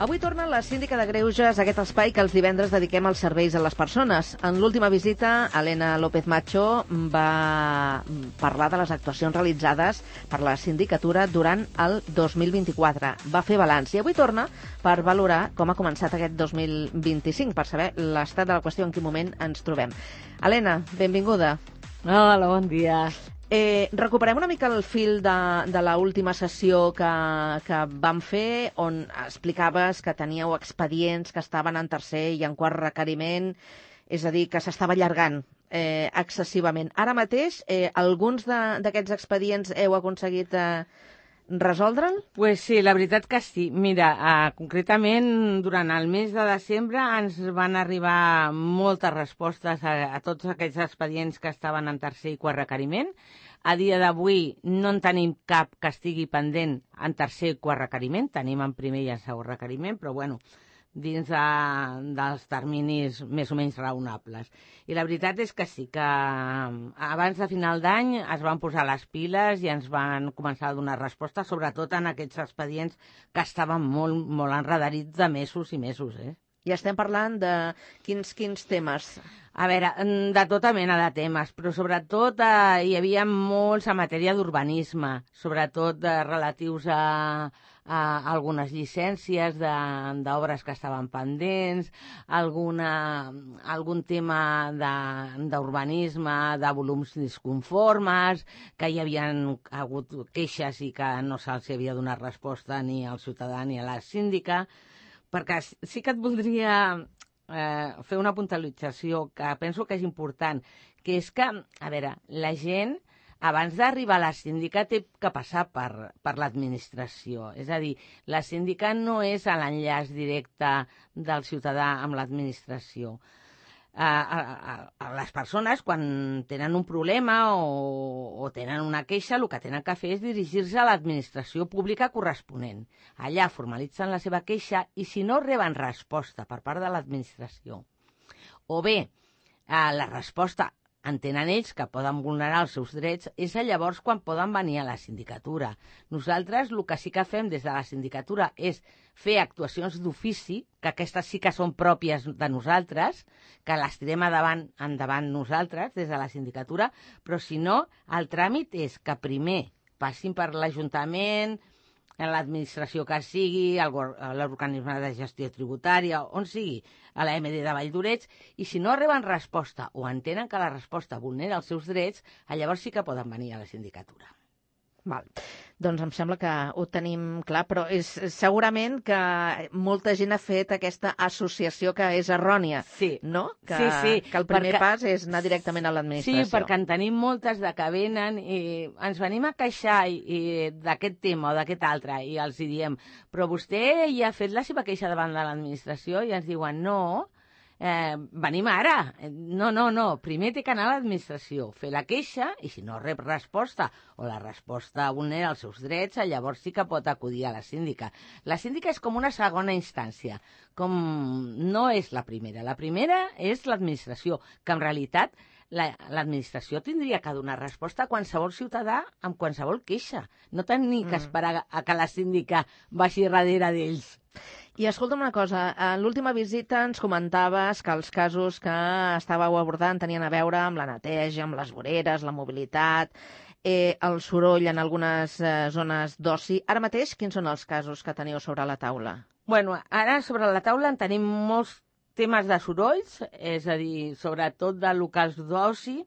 Avui torna la síndica de Greuges, aquest espai que els divendres dediquem als serveis a les persones. En l'última visita, Elena López Macho va parlar de les actuacions realitzades per la sindicatura durant el 2024. Va fer balanç i avui torna per valorar com ha començat aquest 2025, per saber l'estat de la qüestió, en quin moment ens trobem. Elena, benvinguda. Hola, bon dia. Recuperem una mica el fil de l'última sessió que vam fer, on explicaves que teníeu expedients que estaven en tercer i en quart requeriment, és a dir, que s'estava allargant excessivament. Ara mateix, alguns d'aquests expedients heu aconseguit resoldre'l? Pues sí, la veritat que sí. Mira, concretament, durant el mes de desembre ens van arribar moltes respostes a tots aquests expedients que estaven en tercer i quart requeriment. A dia d'avui no en tenim cap que estigui pendent en tercer i quart requeriment. Tenim en primer i en segon requeriment, però bueno, dins dels terminis més o menys raonables. I la veritat és que sí, que abans de final d'any es van posar les piles i ens van començar a donar resposta, sobretot en aquests expedients que estaven molt enredarits de mesos i mesos. I estem parlant de quins temes? A veure, de tota mena de temes, però sobretot hi havia molts en matèria d'urbanisme, sobretot relatius a algunes llicències d'obres que estaven pendents, algun tema d'urbanisme, de volums disconformes, que hi havien hagut queixes i que no se'ls havia donat resposta ni al ciutadà ni a la síndica, perquè sí que et voldria fer una puntualització que penso que és important, que és que, a veure, la gent abans d'arribar a la síndica té que passar per l'administració. És a dir, la síndica no és l'enllaç directe del ciutadà amb l'administració. Les persones, quan tenen un problema o tenen una queixa, el que tenen que fer és dirigir-se a l'administració pública corresponent. Allà formalitzen la seva queixa i si no reben resposta per part de l'administració, o bé la resposta entenen ells que poden vulnerar els seus drets, és llavors quan poden venir a la sindicatura. Nosaltres el que sí que fem des de la sindicatura és fer actuacions d'ofici, que aquestes sí que són pròpies de nosaltres, que les tirem endavant nosaltres des de la sindicatura, però si no, el tràmit és que primer passin per l'Ajuntament, l'administració que sigui, l'organisme de gestió tributària, on sigui, a la MD de Valldoreix, i si no reben resposta o entenen que la resposta vulnera els seus drets, llavors sí que poden venir a la sindicatura. Val. Doncs em sembla que ho tenim clar, però és segurament que molta gent ha fet aquesta associació que és errònia, sí. No? Sí. Que el primer pas és anar directament a l'administració. Sí, perquè en tenim moltes de que venen i ens venim a queixar d'aquest tema o d'aquest altre i els hi diem, però vostè ja ha fet la seva queixa davant de l'administració? I ens diuen, no, venim ara. No, primer té que anar a l'administració, fer la queixa, i si no rep resposta o la resposta vulnera els seus drets, llavors sí que pot acudir a la síndica. La síndica és com una segona instància, com no és la primera. La primera és l'administració, que en realitat l'administració tindria que donar resposta a qualsevol ciutadà amb qualsevol queixa. No tenir que esperar a que la síndica vagi darrere d'ells. I escolta'm una cosa, en l'última visita ens comentaves que els casos que estàveu abordant tenien a veure amb la neteja, amb les voreres, la mobilitat, el soroll en algunes zones d'oci. Ara mateix, quins són els casos que teniu sobre la taula? Bueno, ara sobre la taula en tenim molts temes de sorolls, és a dir, sobretot de locals d'oci.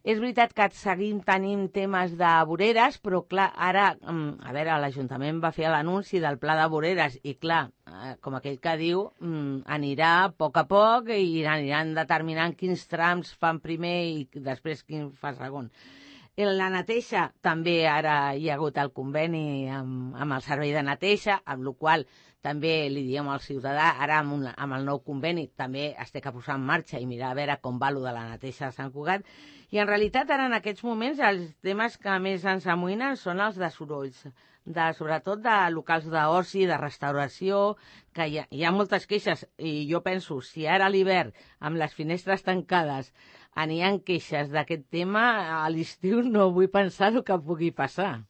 És veritat que seguim tenint temes de voreres, però clar, ara, a veure, l'Ajuntament va fer l'anunci del pla de voreres i clar, com aquell que diu, anirà a poc i aniran determinant quins trams fan primer i després quin fa segon. La neteja, també ara hi ha hagut el conveni amb el servei de neteja, amb la qual també li diem al ciutadà, ara amb el nou conveni també es té que posar en marxa i mirar a veure com va de la neteja de Sant Cugat. I en realitat ara en aquests moments els temes que més ens amoïnen són els de sorolls, sobretot de locals d'oci, de restauració, que hi ha moltes queixes i jo penso, si ara a l'hivern amb les finestres tancades n'hi ha queixes d'aquest tema, a l'estiu no vull pensar el que pugui passar.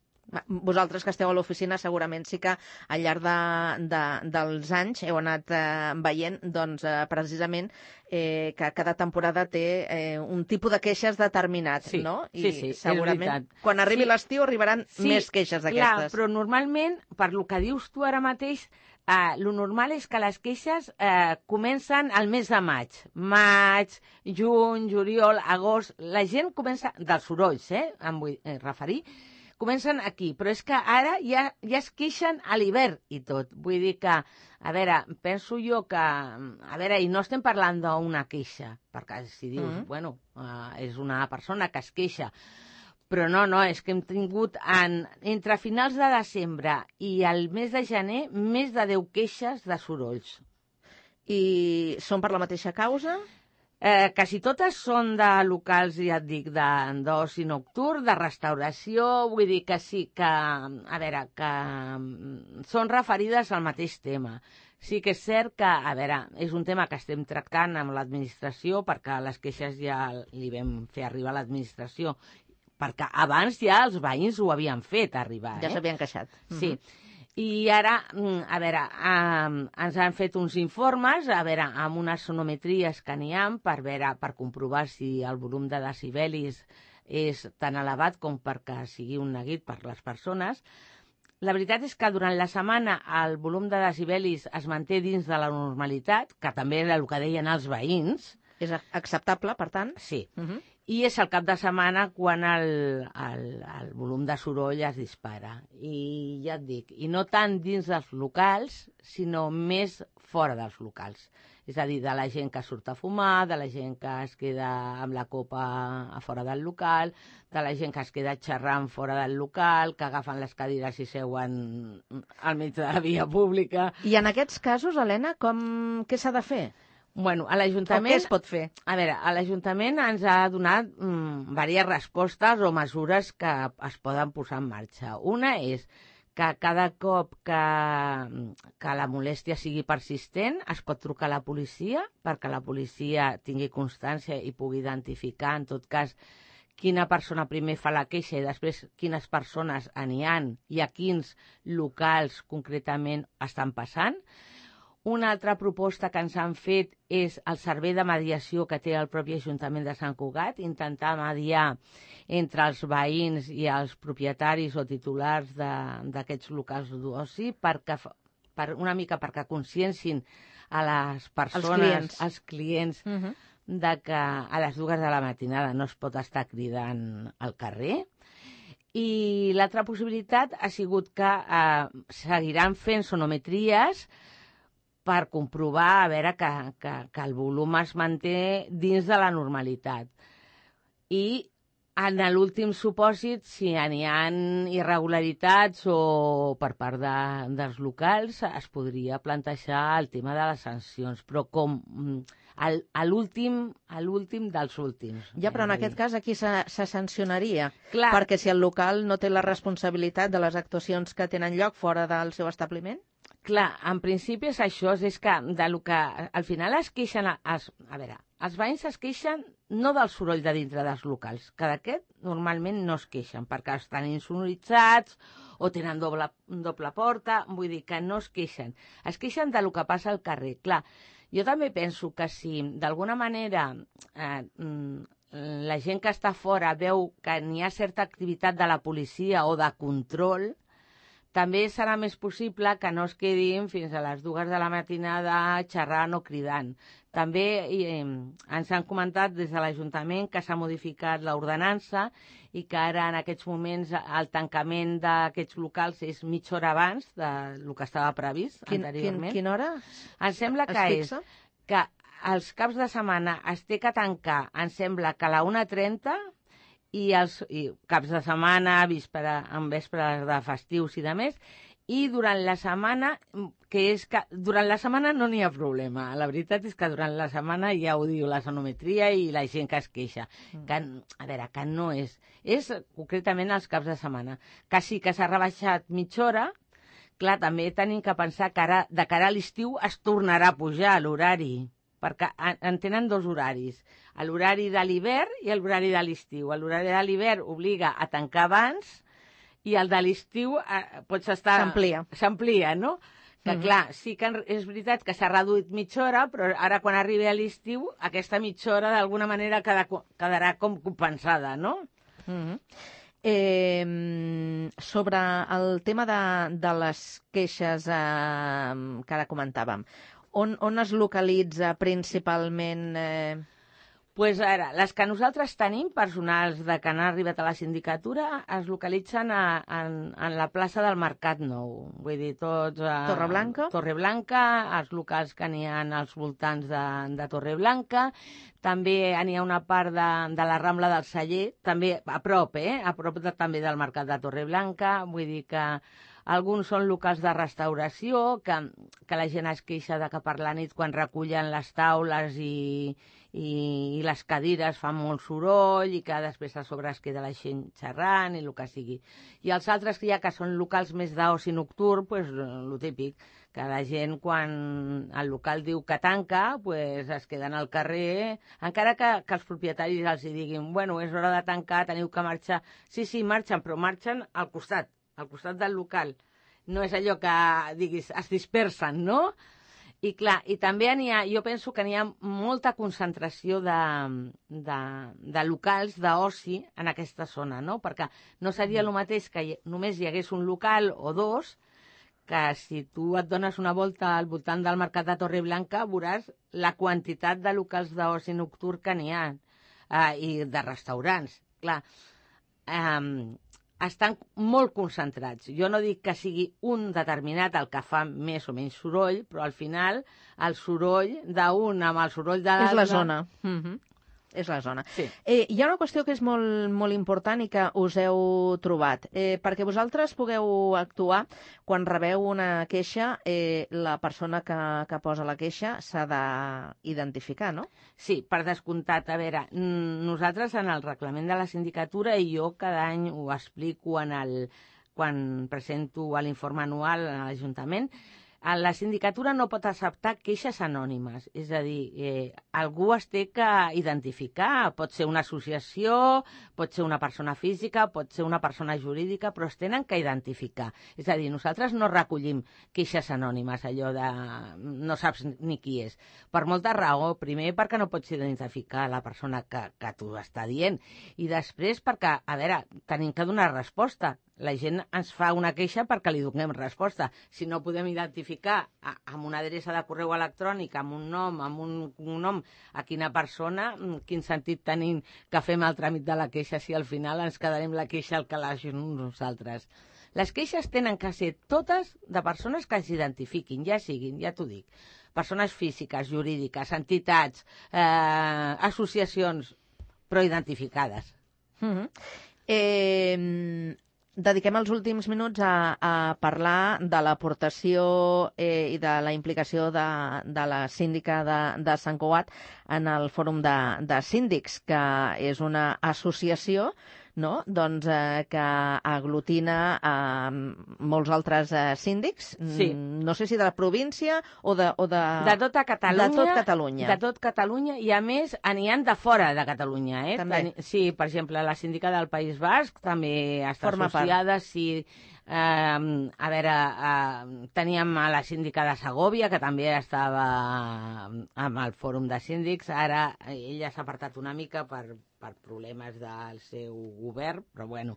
Vosaltres que esteu a l'oficina segurament sí que al llarg dels anys heu anat veient doncs, precisament que cada temporada té un tipus de queixes determinat, no? Sí, segurament és veritat. quan arribi l'estiu arribaran més queixes d'aquestes. Clar, però normalment, per lo que dius tu ara mateix, lo normal és que les queixes comencen al mes de maig. Maig, juny, juliol, agost... La gent comença... Dels sorolls, em vull referir. Comencen aquí, però és que ara ja es queixen a l'hivern i tot. Vull dir que, a veure, penso jo que... A veure, i no estem parlant d'una queixa, perquè si dius, bueno, és una persona que es queixa, però no, és que hem tingut entre finals de desembre i el mes de gener més de 10 queixes de sorolls. I són per la mateixa causa? Quasi totes són de locals, ja et dic, d'oci nocturn, de restauració, vull dir que sí, que, a veure, que són referides al mateix tema. Sí que és cert que, a veure, és un tema que estem tractant amb l'administració, perquè les queixes ja li vam fer arribar a l'administració, perquè abans ja els veïns ho havien fet arribar. Ja s'havien queixat. Sí. I ara, a veure, ens han fet uns informes, a veure, amb unes sonometries que n'hi ha per comprovar si el volum de decibelis és tan elevat com perquè sigui un neguit per les persones. La veritat és que durant la setmana el volum de decibelis es manté dins de la normalitat, que també era el que deien els veïns. És acceptable, per tant? Sí. I és el cap de setmana quan el volum de soroll es dispara. I ja et dic, i no tant dins dels locals, sinó més fora dels locals. És a dir, de la gent que surt a fumar, de la gent que es queda amb la copa a fora del local, de la gent que es queda xerrant fora del local, que agafen les cadires i seuen al mig de la via pública. I en aquests casos, Helena, què s'ha de fer? Bueno, a l'Ajuntament... O què es pot fer? A veure, a l'Ajuntament ens ha donat diverses respostes o mesures que es poden posar en marxa. Una és que cada cop que la molèstia sigui persistent es pot trucar a la policia perquè la policia tingui constància i pugui identificar, en tot cas, quina persona primer fa la queixa i després quines persones n'hi ha i a quins locals concretament estan passant. Una altra proposta que ens han fet és el servei de mediació que té el propi Ajuntament de Sant Cugat, intentar mediar entre els veïns i els propietaris o titulars d'aquests locals d'oci una mica perquè consciencin a les persones, als clients, de que a les 2 de la matinada no es pot estar cridant al carrer. I l'altra possibilitat ha sigut que seguiran fent sonometries per comprovar a veure que el volum es manté dins de la normalitat. I en l'últim supòsit, si n'hi ha irregularitats o per part dels locals, es podria plantejar el tema de les sancions, però com a l'últim dels últims. Ja, però en aquest cas aquí se sancionaria, clar, perquè si el local no té la responsabilitat de les actuacions que tenen lloc fora del seu establiment? Clar, en principi és això, és que al final es queixen... A veure, els veïns es queixen no del soroll de dintre dels locals, que d'aquest normalment no es queixen, perquè estan insonoritzats o tenen doble porta, vull dir que no es queixen. Es queixen del que passa al carrer. Clar, jo també penso que si d'alguna manera la gent que està fora veu que n'hi ha certa activitat de la policia o de control, també serà més possible que no es quedin fins a les 2 de la matinada xerrant o cridant. També ens han comentat des de l'Ajuntament que s'ha modificat l'ordenança i que ara en aquests moments el tancament d'aquests locals és mitja hora abans del que estava previst anteriorment. Quina hora? Em sembla que és que els caps de setmana es té que tancar, em sembla que a la 1:30 i caps de setmana, en vespres de festius i de més, i durant la setmana, durant la setmana no n'hi ha problema. La veritat és que durant la setmana ja ho diu la sonometria i la gent que es queixa. Que, a veure, que no és concretament els caps de setmana. Que sí que s'ha rebaixat mitja hora, clar, també tenim que pensar que ara, de cara a l'estiu es tornarà a pujar l'horari, perquè en tenen 2 horaris, l'horari de l'hivern i l'horari de l'estiu. L'horari de l'hivern obliga a tancar abans i el de l'estiu pots estar... S'amplia, no? Que clar, sí que és veritat que s'ha reduït mitja hora, però ara quan arribi a l'estiu aquesta mitja hora d'alguna manera quedarà com compensada, no? Sobre el tema de les queixes que ara comentàvem, on es localitza principalment... Pues ara, les que nosaltres tenim, personals de que han arribat a la sindicatura, es localitzen en la plaça del Mercat Nou. Vull dir, tots... Torreblanca? Torreblanca, els locals que n'hi ha als voltants de Torreblanca. També n'hi ha una part de la Rambla del Celler, també a prop, a prop també del Mercat de Torreblanca. Vull dir que alguns són locals de restauració, que la gent es queixa de que per la nit quan recullen les taules i les cadires fan molt soroll i que després a sobre es queda la gent xerrant i el que sigui. I els altres que que són locals més d'oci nocturn, pues, el típic, que la gent quan el local diu que tanca, pues, es queden al carrer, encara que els propietaris els diguin, bueno, és hora de tancar, teniu que marxar. Sí, marxen, però marxen al costat del local. No és allò que, diguis, es dispersen, no? I clar, i també jo penso que n'hi ha molta concentració de locals d'oci en aquesta zona, no? Perquè no seria el mateix que només hi hagués un local o dos, que si tu et dones una volta al voltant del Mercat de Torreblanca veuràs la quantitat de locals d'oci nocturn que n'hi ha i de restaurants. Clar, estan molt concentrats. Jo no dic que sigui un determinat el que fa més o menys soroll, però al final el soroll d'un amb el soroll de l'altre... És la zona. És la zona. Sí. Hi ha una qüestió que és molt, molt important i que us heu trobat. Perquè vosaltres pugueu actuar, quan rebeu una queixa, la persona que posa la queixa s'ha d'identificar, no? Sí, per descomptat. A veure, nosaltres en el reglament de la sindicatura, i jo cada any ho explico quan presento l'informe anual a l'Ajuntament, la sindicatura no pot acceptar queixes anònimes, és a dir, algú es té que identificar, pot ser una associació, pot ser una persona física, pot ser una persona jurídica, però es tenen que identificar. És a dir, nosaltres no recollim queixes anònimes, allò de no saps ni qui és. Per molta raó, primer perquè no pots identificar la persona que t'ho està dient, i després perquè, a veure, tenim que donar resposta. La gent ens fa una queixa perquè li donem resposta. Si no podem identificar amb una adreça de correu electrònic, amb un nom, amb un cognom, a quina persona, quin sentit tenim que fem el tràmit de la queixa si al final ens quedarem la queixa al calaix nosaltres. Les queixes tenen que ser totes de persones que s'identifiquin, ja siguin, ja t'ho dic, persones físiques, jurídiques, entitats, associacions, però identificades. Dediquem els últims minuts a parlar de l'aportació i de la implicació de la síndica de Sant Cugat en el Fòrum de Síndics, que és una associació, no? Doncs, que aglutina molts altres síndics, sí. No sé si de la província o de tota Catalunya, de tot Catalunya. De tot Catalunya, i a més n'hi ha de fora de Catalunya. També. Sí, per exemple, la síndica del País Basc també està associada, sí. A veure, teníem a la síndica de Segòvia, que també estava amb el Fòrum de Síndics. Ara ella s'ha apartat una mica per problemes del seu govern, però bueno.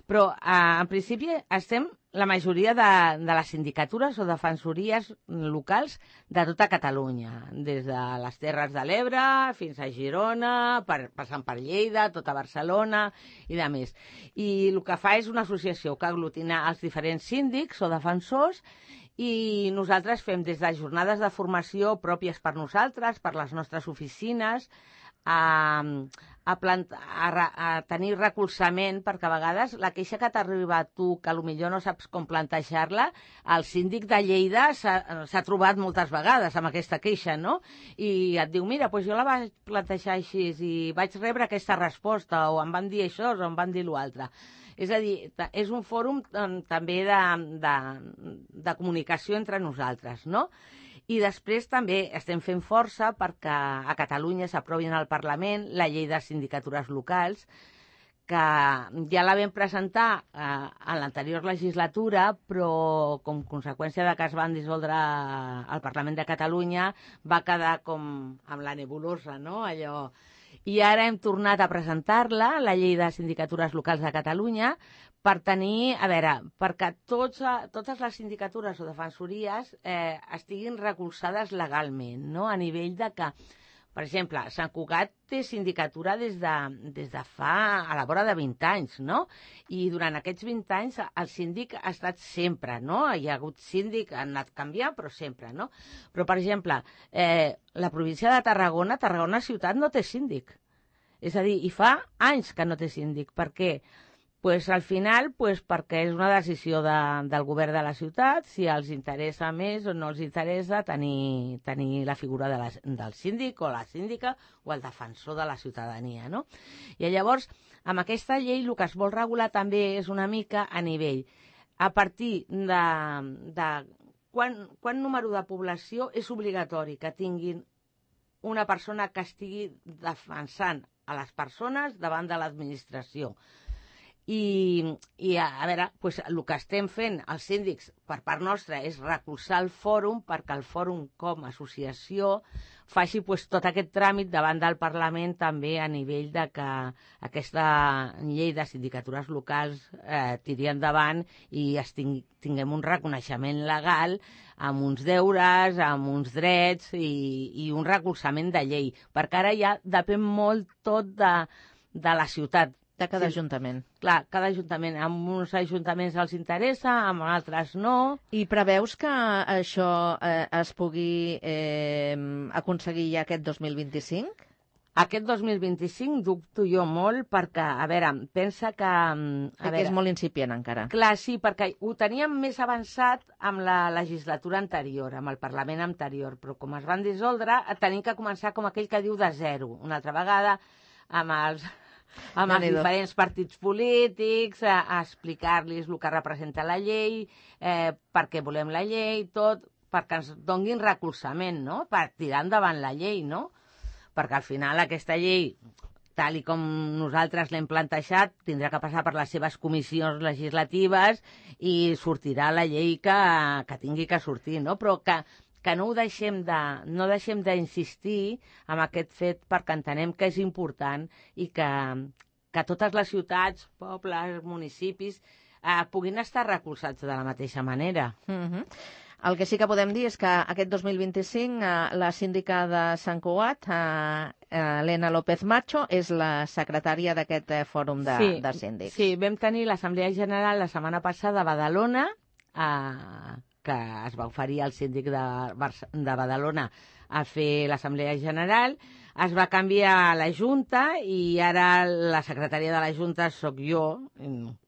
Però, en principi, estem la majoria de les sindicatures o defensories locals de tota Catalunya, des de les Terres de l'Ebre fins a Girona, passant per Lleida, tota Barcelona i de més. I el que fa és una associació que aglutina els diferents síndics o defensors, i nosaltres fem des de jornades de formació pròpies per nosaltres, per les nostres oficines, a tenir recolzament, perquè a vegades la queixa que t'arriba a tu, que potser no saps com plantejar-la, el síndic de Lleida s'ha trobat moltes vegades amb aquesta queixa, no? I et diu, mira, doncs jo la vaig plantejar així i vaig rebre aquesta resposta, o em van dir això o em van dir l'altre. És a dir, és un fòrum també de comunicació entre nosaltres, no? I després també estem fent força perquè a Catalunya s'aprovi en el Parlament la llei de sindicatures locals, que ja la vam presentar en l'anterior legislatura, però com conseqüència de que es van dissoldre al Parlament de Catalunya va quedar com amb la nebulosa, no? Allò. I ara hem tornat a presentar-la, la llei de sindicatures locals de Catalunya, per tenir, a veure, perquè totes les sindicatures o defensories estiguin recolzades legalment, no? A nivell de que, per exemple, Sant Cugat té sindicatura des de fa a la vora de 20 anys, no? I durant aquests 20 anys el síndic ha estat sempre, no? Hi ha hagut síndic, han anat canviant, però sempre, no? Però, per exemple, la província de Tarragona ciutat no té síndic. És a dir, i fa anys que no té síndic. Per què? Pues, al final, perquè és una decisió del govern de la ciutat, si els interessa més o no els interessa tenir la figura del síndic o la síndica o el defensor de la ciutadania, no? I llavors, amb aquesta llei el que es vol regular també és una mica a nivell. A partir de quant número de població és obligatori que tinguin una persona que estigui defensant a les persones davant de l'administració. I a veure, pues, el que estem fent els síndics per part nostra és recolzar el fòrum perquè el fòrum com a associació faci pues, tot aquest tràmit davant del Parlament també a nivell de que aquesta llei de sindicatures locals tiri endavant i tinguem un reconeixement legal amb uns deures, amb uns drets i un recolzament de llei, perquè ara ja depèn molt tot de la ciutat. De cada ajuntament. Clar, cada ajuntament. Amb uns ajuntaments els interessa, amb altres no. I preveus que això es pugui aconseguir ja aquest 2025? Aquest 2025 dubto jo molt perquè, a veure, pensa que... Perquè és molt incipient encara. Clar, sí, perquè ho teníem més avançat amb la legislatura anterior, amb el Parlament anterior, però com es van dissoldre, tenim que començar com aquell que diu de zero, una altra vegada, amb els diferents partits polítics, a explicar-los el que representa la llei, per què volem la llei, tot, perquè ens donguin recolzament, no?, per tirar endavant la llei, no? Perquè al final aquesta llei, tal i com nosaltres l'hem plantejat, tindrà que passar per les seves comissions legislatives i sortirà la llei que tingui que sortir, no? Però que no deixem d'insistir en aquest fet perquè entenem que és important i que totes les ciutats, pobles, municipis puguin estar recolzats de la mateixa manera. El que sí que podem dir és que aquest 2025 la síndica de Sant Cugat, Elena López Macho, és la secretària d'aquest fòrum de síndics. Sí, vam tenir l'Assemblea General la setmana passada a Badalona, que es va oferir al síndic de Badalona a fer l'Assemblea General, es va canviar la Junta i ara la secretària de la Junta sóc jo,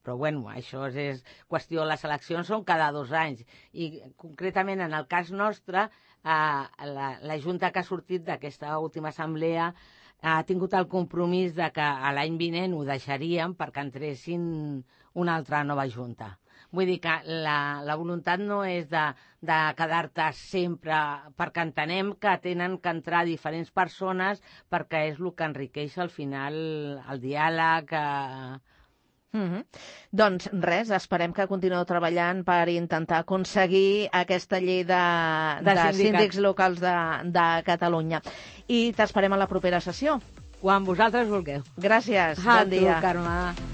però bueno, això és qüestió, les eleccions són cada 2 anys i concretament en el cas nostre la Junta que ha sortit d'aquesta última assemblea ha tingut el compromís de que l'any vinent ho deixaríem perquè entressin una altra nova Junta. Vull dir que la voluntat no és de quedar-te sempre, perquè entenem que tenen que entrar diferents persones perquè és el que enriqueix al final el diàleg. Doncs res, esperem que continueu treballant per intentar aconseguir aquesta llei de síndics locals de Catalunya. I t'esperem a la propera sessió. Quan vosaltres vulgueu. Gràcies, bon dia. Carme.